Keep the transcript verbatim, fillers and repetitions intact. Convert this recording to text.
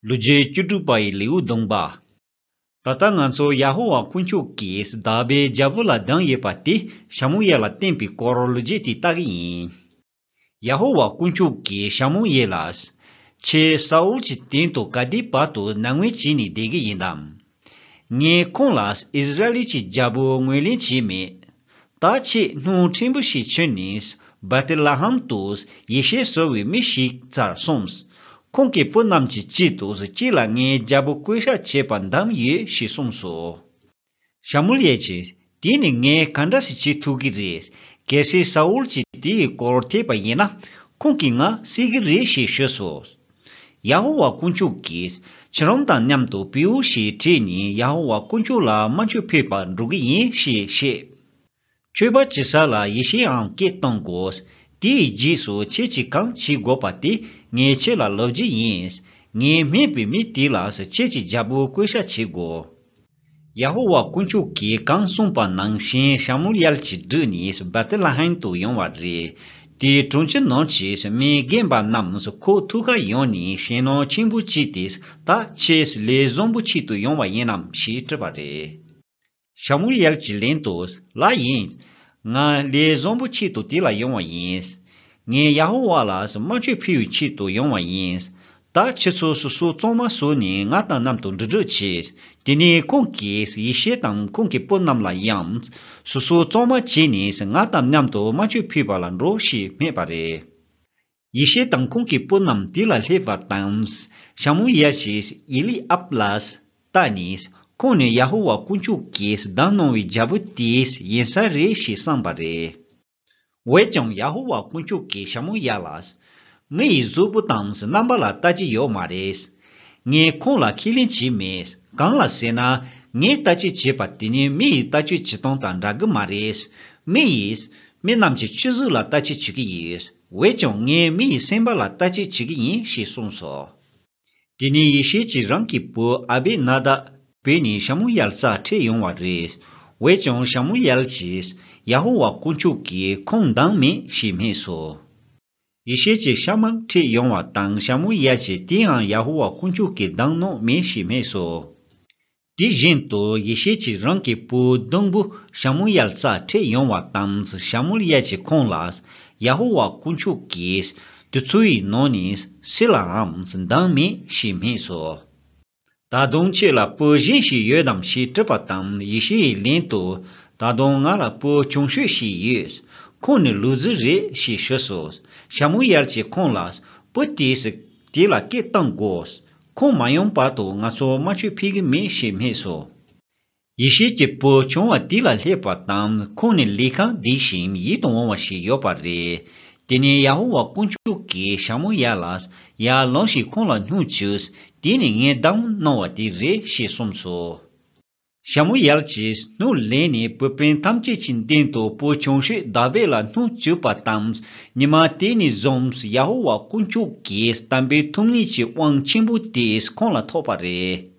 ལོ་རྒྱུས་བཅུ་དྲུག་པ་ཡི་ལེའུ་བདུན་པ། ད་ལྟ་ང་ཚོ་ཡ་ཧོ་ཝཱ་དཀོན་མཆོག་གིས་དག་པའི་རྒྱལ་པོ་ལ་སྡང་ཡོད་པ་དེ་ཤ་མུ་ཡལ་ལ་བསྟན་པའི་སྐོར་ལོ་རྒྱུས་དེ་ལྟ་གི་ཡིན། ཡ་ཧོ་ཝཱ་དཀོན་མཆོག་གིས་ཤ་མུ་ཡལ་ལ། ཁྱེད་ས་ཨུལ་གྱི་སྟེང་དུ་ག་དུས་བར་དུ་མནའ་མོལ་བྱས་ནས་བསྡད་ཀྱི་ཡིན་དམ། ངས་ཁོང་ལ་ཨིསི་ར་ཨེལ་གྱི་རྒྱལ་པོ་ངོས་ལེན་བྱས་མེད། ད་ཁྱེད་སྣུམ་ཕྲན་བུ་ཞིག་ཁྱེར་ནས་བེ་ཐེ་ལེ་ཧེམ་དུ་ཡེ་ཤེས་ཟེར་བའི་མི་ཞིག་རྩར་སོང་། ཁོང་གི་བུ་རྣམས་ཀྱི་དཀྱིལ་དུ་ཁྱེད་ལ་ངའི་རྒྱལ་པོ་བསྐོ་བཞག་བྱས་པ་འདམ་ཡོད་ཞེས་གསུངས་སོ། ཤ་མུ་ཡལ་གྱིས། དེ་ནི་ངས་ག་འདྲ་ཞིག་བྱེད་ཐུབ་ཀྱི་རེད། གལ་སྲིད་ས་ཨུལ་གྱིས་དེའི་སྐོར་ཐོས་པ་ཡིན་ན། ཁོང་གིས་ང་བསད་ཀྱི་རེད་ཞེས་ཞུས་སོ། ཡ་ཧོ་ཝཱ་དཀོན་མཆོག་གིས་ཁྱེད་རང་དང་མཉམ་དུ་བེའུ་ཞིག་ཁྲིད་ནས་ཡ་ཧོ་ཝཱ་དཀོན་མཆོག་ལ་དམར་མཆོད་ཕུལ་བར་འགྲོ་གི་ཡིན་ཞེས་བཤད། མཆོད་པ་བྱེད་ས་ལ་ཡེ་ཤེས་ཨང་སྐད་གཏོང་དགོས། དེའི་རྗེས་སུ་ཁྱེད་ཀྱིས་གང་བྱེད་དགོས་པ་དེ་ངས་ཁྱེད་ལ་ལབ་རྒྱུ་ཡིན། ངས་སྨྲས་པའི་མི་དེ་ལ་ཁྱེད་ཀྱི་རྒྱལ་པོ་བསྐོ་བཞག་བྱེད་དགོས། ཡ་ཧོ་ཝཱ་དཀོན་མཆོག་གིས་གང་གསུངས་པ་ནང་བཞིན་ཤ་མུ་ཡལ་གྱིས་བསྒྲུབས་ནས་བེ་ཐེ་ལེ་ཧེམ་དུ་ཡོང་བ་རེད། དེའི་གྲོང་ཁྱེར་ནང་གི་མི་རྒན་པ་རྣམས་ཁོའི་ཐུགས་ཁར་ཡོང་ནས་ཞེད་སྣང་ཆེན་པོ་སྐྱེས་ཏེ། ད་ཁྱེད་ལས་བཟང་པོ་ཆེད་དུ་ཡོང་བ་ཡིན་ནམ་ཞེས་དྲིས་པ་རེད། ཤ་མུ་ཡལ་གྱིས་ལན་དུ། ལགས་ཡིན། ང་ལས་བཟང་པོ་ཆེད་དུ་དེ་ལ་ཡོང་བ་ཡིན། ངས་ཡ་ཧོ་ཝཱ་ལ་དམར་མཆོད་ཕུལ་བའི་ཆེད་དུ་ཡོང་བ་ཡིན། ད་ཁྱེད་ཚོ་སོ་སོ་གཙང་མ་བཟོས་ནས་ང་དང་མཉམ་དུ་འགྲོ་གྲབས་བྱེད། དེ་ནས་ཁོང་གིས་ཡེ་ཤེས་དང་ཁོང་གི་བུ་རྣམས་ལ་ཡང་། སོ་སོ་གཙང་མ་བྱས་ནས་ང་དང་མཉམ་དུ་དམར་མཆོད་ཕུལ་བ་ལ་འགྲོ་ཞེས་སྨྲས་པ་རེད། ཡེ་ཤེས་དང་ཁོང་གི་བུ་རྣམས་དེ་ལ་སླེབས་པ་དང་། ཤ་མུ་ཡལ་གྱིས་ཨེ་ལི་ཨབ་ལ་བལྟས་ནས། ཁོང་ནི་ཡ་ཧོ་ཝཱ་དཀོན་མཆོག་གིས་བདམས་གནང་བའི་རྒྱལ་པོ་དེ་ཡིན་ས་རེད་ཞེས་གསུངས་པ་རེད། འོན་ཀྱང་ཡ་ཧོ་ཝཱ་དཀོན་མཆོག་གིས་ཤ་མུ་ཡལ་ལ། མི་ཡི་གཟུགས་པོ་དང་རྣམ་པ་ལ་ལྟ་རྒྱུ་ཡོད་མ་རེད། ངས་ཁོང་ལ་ཁས་ལེན་བྱས་མེད། གང་ལ་ཟེར་ན། ངས་ལྟ་སྤྱོད་བྱས་པ་དེ་ནི་མི་ཡི་ལྟ་སྤྱོད་བྱེད་སྟངས་དང་འདྲ་གི་མ་རེད། མི་ཡིས་མི་རྣམས་ཀྱི་སྤྱི་གཟུགས་ལ་ལྟ་སྤྱོད་བྱེད་ཀྱི་ཡོད། འོན་ཀྱང་ངས་མི་ཡི་སེམས་པ་ལ་ལྟ་སྤྱོད་བྱེད་ཀྱི་ཡིན་ཞེས་གསུངས་སོ། དེ་ནས་ཡེ་ཤེས་ཀྱིས་རང་གི་བུ་ཨ་བེ་ན་དཱབ་བོས་ནས་ཤ་མུ་ཡལ་སར་ཁྲིད་ཡོང་བ་རེད། འོན་ཀྱང་ཤ་མུ་ཡལ་གྱིས་ཡ་ཧོ་ཝཱ་དཀོན་མཆོག་གིས་ཁོང་བདམས་མེད་ཞེས་སྨྲས་སོ། ཡེ་ཤེས་ཀྱིས་ཤ་མུ་ཁྲིད་ཡོང་བ་དང་ཤ་མུ་ཡལ་གྱིས་དེའང་ཡ་ཧོ་ཝཱ་དཀོན་མཆོག་གིས་བདམས་གནང་མེད་ཞེས་སྨྲས་སོ། དེ་བཞིན་དུ་ཡེ་ཤེས་ཀྱིས་རང་གི་བུ་བདུན་པོ་ཤ་མུ་ཡལ་སར་ཁྲིད་ཡོང་བ་དང་ཤ་མུ་ཡལ་གྱིས་ཁོང་ལ་ཡ་ཧོ་ཝཱ་དཀོན་མཆོག་གིས་དུས་ཚོད་ཡི་ནང་ནས་སུ་ལའང་བདམས་མེད་ཞེས་སྨྲས་སོ། ད་དུང་ཁྱེད་ལ་བུ་གཞན་ཞིག་ཡོད་དམ་ཞེས་དྲིས་པ་དང་ཡེ་ཤེས་ཡིས་ལན་དུ། ད་དུང་ང་ལ་བུ་ཆུང་ཤོས་ཤིག་ཡོད། ཁོང་ནི་ལུག་རྫི་རེད་ཞེས་ཞུས་སོ། ཤ་མུ་ཡལ་གྱིས་ཁོང་ལ། བུ་དེས་དེ་ལ་སྐད་གཏོང་དགོས། ཁོང་མ་ཡོང་བར་དུ་ང་ཚོ་དམར་མཆོད་ཕུལ་གྱི་མེད་ཞེས་སྨྲས་སོ། ཡེ་ཤེས་ཀྱི་བུ་ཆུང་བ་དེ་ལ་སླེབས་པ་དང་ཁོང་ནི་ལས་ཁང་བདེ་ཞིང་ཡིད་དུ་འོང་བ་ཞིག་ཡོད་པ་རེད། དེ་ནས་ཡ་ཧོ་ཝཱ་དཀོན་མཆོག་གིས་ཤ་མུ་ཡལ་ལ། ཡར་ལངས་ཤིག་ཁོང་ལ་སྣུམ་བྱུགས། དེ་ནི་ངས་བདམས་གནང་བ་དེ་རེད་ཞེས་གསུངས་སོ། ཤ་མུ་ཡལ་གྱིས་སྣུམ་ལེན་ནས་བུ་སྤུན་ཐམས་ཅད་ཀྱི་མདུན་དུ་བུ་ཆུང་ཤོས་དཱ་བིད་ལ་སྣུམ་བྱུགས་པ་དང་། ཉི་མ་དེ་ནས་བཟུང་ཡ་ཧོ་ཝཱ་དཀོན་མཆོག་གིས་དམ་པའི་ཐུགས་ཉིད་ཀྱི་དབང་ཆེན་པོ་དེ་ཁོང་ལ་ཐོབ་པ་རེད།